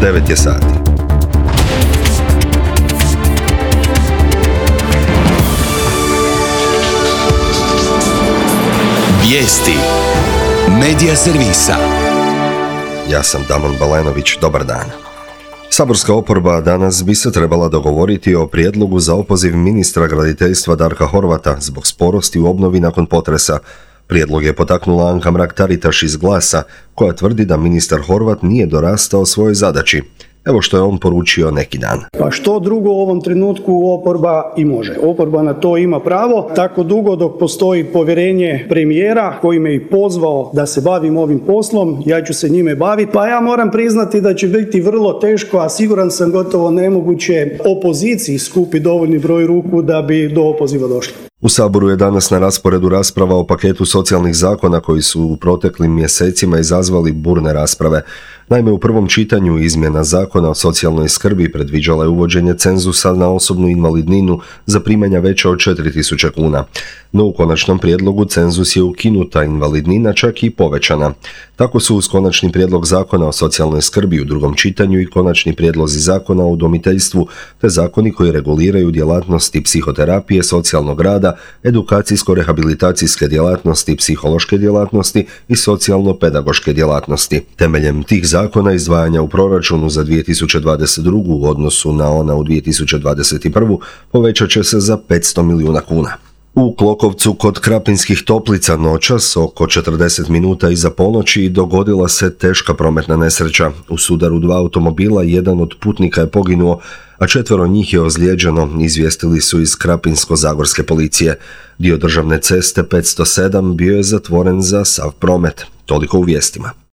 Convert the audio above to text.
9 je sati. Vijesti Medija servisa. Ja sam Damon Balenović, dobar dan. Saborska oporba danas bi se trebala dogovoriti o prijedlogu za opoziv ministra graditeljstva Darka Horvata zbog sporosti u obnovi nakon potresa. Prijedlog je potaknula Anka Mrak-Taritaš iz Glasa, koja tvrdi da ministar Horvat nije dorastao svojoj zadaći. Evo što je on poručio neki dan. Pa što drugo u ovom trenutku oporba i može. Oporba na to ima pravo. Tako dugo dok postoji povjerenje premijera koji me i pozvao da se bavim ovim poslom, ja ću se njime baviti. Pa ja moram priznati da će biti vrlo teško, a siguran sam gotovo nemoguće opoziciji skupi dovoljni broj ruku da bi do opoziva došlo. U Saboru je danas na rasporedu rasprava o paketu socijalnih zakona koji su u proteklim mjesecima izazvali burne rasprave. Naime, u prvom čitanju izmjena zakona o socijalnoj skrbi predviđala je uvođenje cenzusa na osobnu invalidninu za primanja veća od 4.000 kuna. No u konačnom prijedlogu cenzus je ukinuta, invalidnina čak i povećana. Tako su uz konačni prijedlog zakona o socijalnoj skrbi u drugom čitanju i konačni prijedlozi zakona o udomiteljstvu, te zakoni koji reguliraju djelatnosti psihoterapije, socijalnog rada, edukacijsko-rehabilitacijske djelatnosti, psihološke djelatnosti i socijalno-pedagoške djelatnosti. Temeljem tih zakona izdvajanja u proračunu za 2022. u odnosu na ona u 2021. povećat će se za 500 milijuna kuna. U Klokovcu kod Krapinskih Toplica noćas oko 40 minuta iza ponoći dogodila se teška prometna nesreća. U sudaru dva automobila jedan od putnika je poginuo, a 4 njih je ozlijeđeno, izvijestili su iz Krapinsko-zagorske policije. Dio državne ceste 507 bio je zatvoren za sav promet. Toliko u vijestima.